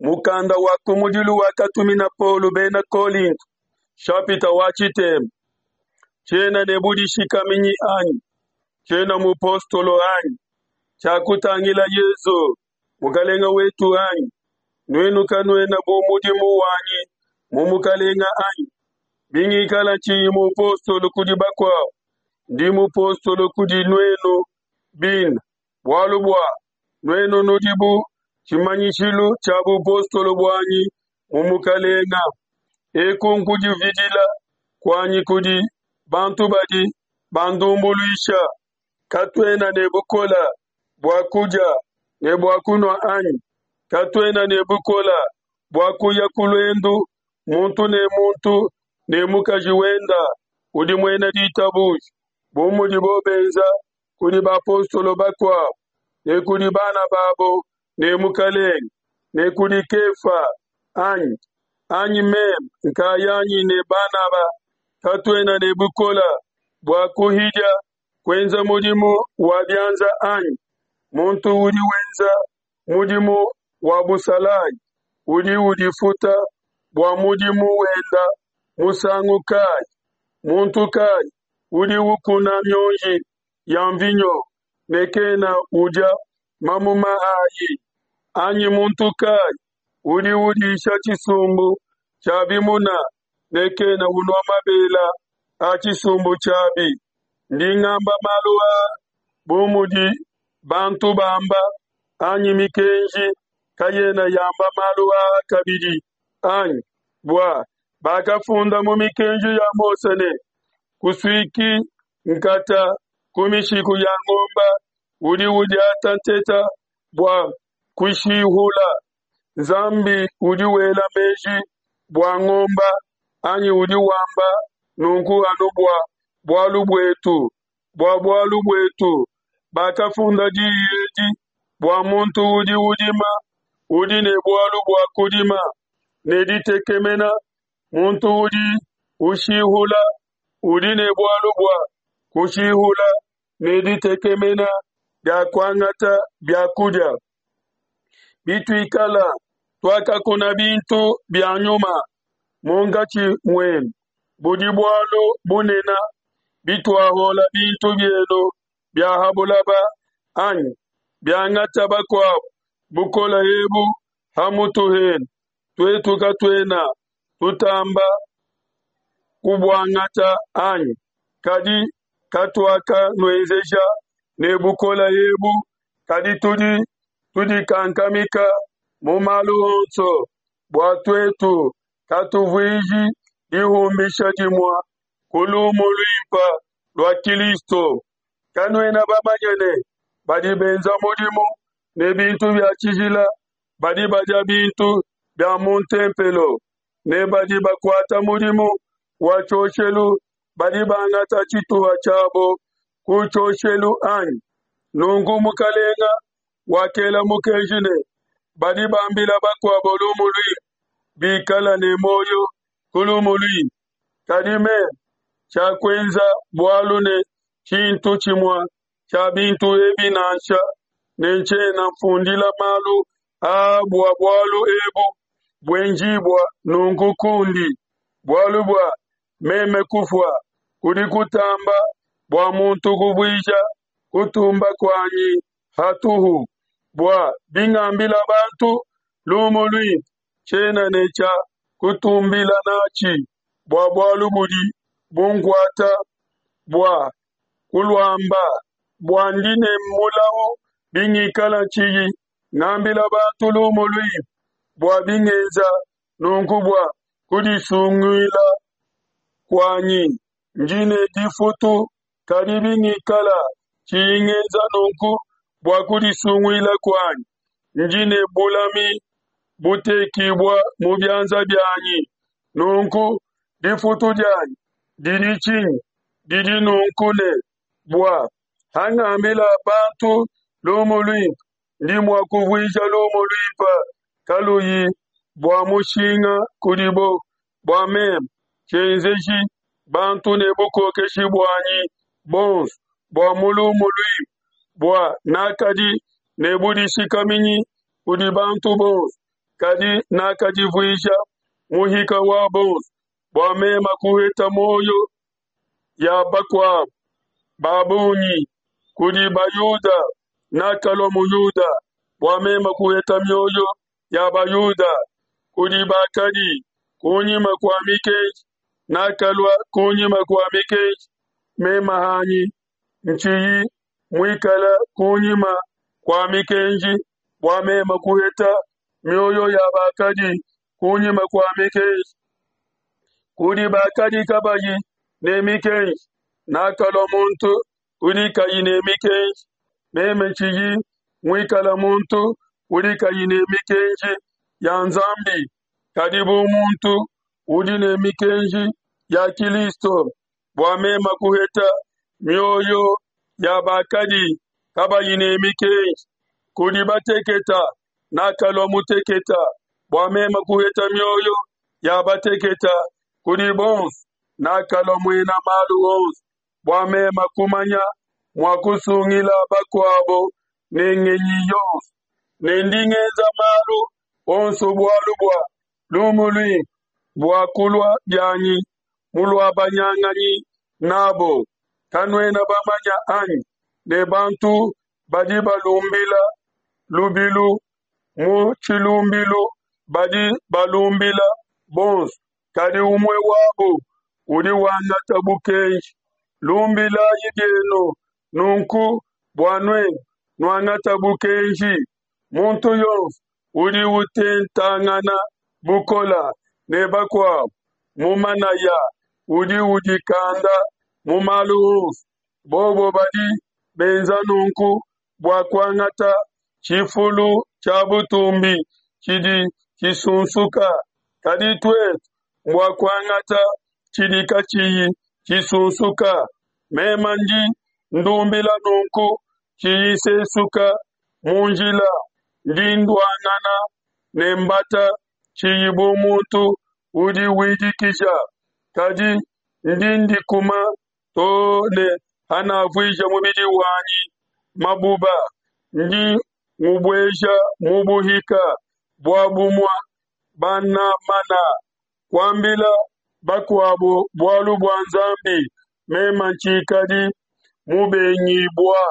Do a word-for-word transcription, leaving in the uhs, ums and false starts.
Mukanda wa kumudilu wakatumina Paulo bena Kolinto, nshapita wa tshitema. Tshiena ne budishikaminyi anyi? Tshiena mupostolo anyi? Tshiakutangila Yesu Mukalenge wetu anyi? Nuenu kanuena bu mudimu wanyi mu Mukalenge anyi? Bingikala tshiyi mupostolo kudi bakuabo, ndi mupostolo kudi nuenu bine, bualu bua nuenu nudi bu tshimanyishilu tshia bupostolo buanyi mu Mukalenge. Eku nkudividila kuanyi kudi bantu badi bandumbuluisha. Katuena ne bukole bua kudia ne bua kunua anyi? Katuena ne bukole bua kuya ku luendu, muntu ne muntu ne mukaji wende udi muena ditabuja, bu mudibo benza kudi bapostolo bakuabo, ne kudi bana babo ne Mukalenge, ne kudi Kefa anyi? Anyi meme nkayanyi ne Banaba katuena ne bukole bua kuhidia kuenza mudimu wa bianza anyi? Muntu udi wenza mudimu wa busalayi udi udifuta bua mudimu wende musangu kayi? Muntu kayi udi ukuna mionji ya mvinyo ne kena udia mamuma ayi? Anyi muntu kayi udi udisha tshisumbu tshia bimuna ne kena unua mabele a tshisumbu tshiabi? Ndi ngamba malu aa bu mudi bantu bamba, anyi mikenji kayena yamba malu aa kabidi anyi? Bua bakafunda mu mikenji ya Mose ne, Kusuiki nkata ku mishiku ya ngombe udi udiata nteta bua kuishihula. Nzambi udi wela meji bua ngombe, anyi udi wamba nunku anu bua bualu buetu? Bua bualu buetu bakafunda diyi edi bua muntu udi udima udi ne bualu bua kudima ne ditekemena, muntu udi ushihula udi ne bualu bua kushihula ne ditekemena dia kuangata bia kudia. Bituikala tuakakuna bintu bia nyuma munkatshi muenu, budi bualu bunene bituahuola bintu bienu bia ha buloba, anyi? Biangata bakuabo bukole ebu ha mutu henu, tuetu katuena tutamba kubuangata, anyi? Kadi katuakanuenzeja ne bukole ebu, kadi tudi tudikankamika mu malu onso, bua tuetu katuvuiji dihumbisha dimue ku lumu luimpe lua Kilisto. Kanuena bamanye ne, Badi benza mudimu ne bintu bia tshijila badi badia bintu bia mu ntempelo, ne badi bakuata mudimu wa tshioshelu badi bangata tshituha tshiabo ku tshioshelu, anyi? Nunku Mukelenge wakela mukenji ne, Badi bambila bakuabo lumu luimpe bikale ne muoyo ku lumu luimpe. Kadi meme tshiakuenza bualu ne tshintu tshimue tshia bintu ebi nansha, ne ntshiena nfundila malu aa bua bualu ebu buenjibua nunku kundi. Bualu bua meme kufua kudi kutamba bua muntu kuvuija kutumba kuanyi hatuhu. Bua bingambila bantu lumu luimpe, tshiena ne tshia kutumbila natshi bua bualu budi bunkuata bua kuluamba, bua ndi ne mulau bingikala tshiyi ngambila bantu lumu luimpe. Bua bingenza nunku bua kudisunguila kuanyi, ndi ne difutu, kadi bingikala tshiyi ngenza nunku bua kudisunguila kuanyi, ndi ne bulami butekibua mu bianza bianyi. Nunku difutu dianyi didi tshinyi? Didi nunku ne, bua hangambila bantu lumu luimpe, ndi mua kuvuija lumu luimpe kaluyi bua mushinga kudibo, bua meme tshienzeji bantu ne bukokeshi buanyi buonso bua mu lumu luimpe, bua nakadi ne budishikaminyi kudi bantu bonso, kadi nakadivuisha muhika wa bonso bua meme kuheta mioyo ya bakuabo ba bungi. Kudi Bayuda nakalua Muyuda bua meme kuheta mioyo ya Bayuda. Kudi bakadi kunyima kua mikenji nakalua kunyima kua mikenji, meme hanyi ntshiyi muikale kunyima kua mikenji, bua meme kuheta mioyo ya bakadi kunyima kua mikenji. Kudi bakadi kabayi ne mikenji nakalua muntu udi kayi ne mikenji, meme tshiyi muikale muntu udi kayi ne mikenji ya Nzambi, kadi bu muntu udi ne mikenji ya Kilisto, bua meme kuheta mioyo ya bakadi kabayi ne mikenji. Kudi bateketa nakalua muteketa, bua meme kuheta mioyo ya bateketa. Kudi bonso nakalua muena malu onso, bua meme kumanya mua kusungila bakuabo ne ngenyi yonso. Ne ndi ngenza malu onso bualu bua lumu luimpe, bua kulua bianyi muluabanyanganyi n'abo. Kanuena bamanye anyi ne bantu badi balumbila lubilu mu tshilumbilu badi balumbila bonso, kadi umue wabo udi wangata bukenji. Lumbilayi bienu nunku bua nuenu nuangata bukenji. Muntu yonso udi utentangana bukole ne bakuabo mu manaya udi udikanda mu malu onso. Bobo badi benza nunku bua kuangata tshifulu tshia butumbi tshidi tshisunsuka, kadi tuetu mbua kuangata tshidi katshiyi tshisunsuka. Meme ndi ndumbila nunku, tshiyi nsesuka mu njila, ndi nduangana ne mbata, tshiyi bu muntu udi widikisha, kadi ndi ndikuma too ne hanavuija mubidi wanyi mabuba, ndi ngubueja mu buhika, bua bumue banamana kuambila bakuabo bualu bua Nzambi, meme tshikadi mubengibua.